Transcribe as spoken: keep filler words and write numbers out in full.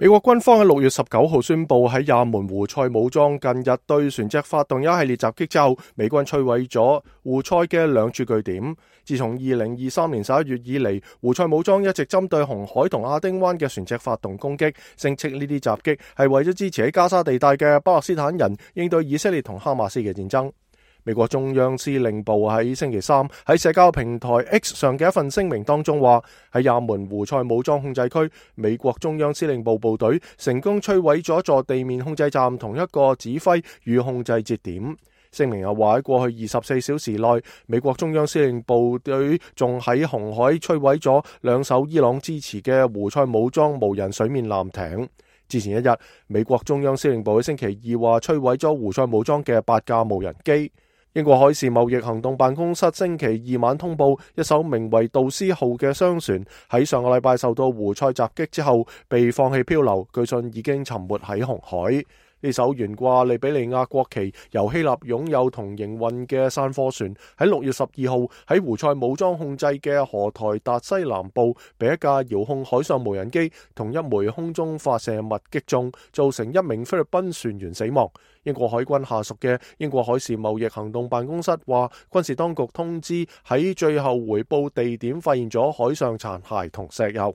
美國軍方喺六月十九號宣布，喺也門胡塞武裝近日對船隻發動一系列襲擊之後，美軍摧毀咗胡塞嘅兩處據點。自從二零二三年十一月以嚟，胡塞武裝一直針對紅海同亞丁灣嘅船隻發動攻擊，聲稱呢啲襲擊係為咗支持喺加沙地帶嘅巴勒斯坦人應對以色列同哈馬斯嘅戰爭。美國中央司令部喺星期三喺社交平台 X 上嘅一份聲明當中話，喺也門胡塞武裝控制區，美國中央司令部部隊成功摧毀咗一座地面控制站同一個指揮與控制節點。聲明又話喺過去二十四小時內，美國中央司令部隊仲喺紅海摧毀咗兩艘伊朗支持嘅胡塞武裝無人水面艦艇。之前一日，美國中央司令部喺星期二話摧毀咗胡塞武裝嘅八架無人機。英國海事貿易行動辦公室星期二晚通報，一艘名為杜斯號嘅商船喺上個禮拜受到胡塞襲擊之後被放棄漂流，據信已經沉沒喺紅海。呢艘懸掛利比里亞國旗、由希臘擁有同營運嘅散貨船喺六月十二號喺胡塞武裝控制嘅荷台達西南部被一架遙控海上無人機同一枚空中發射物擊中，造成一名菲律賓船員死亡。英國海軍下屬嘅英國海事貿易行動辦公室話，軍事當局通知喺最後回報地點發現咗海上殘骸同石油。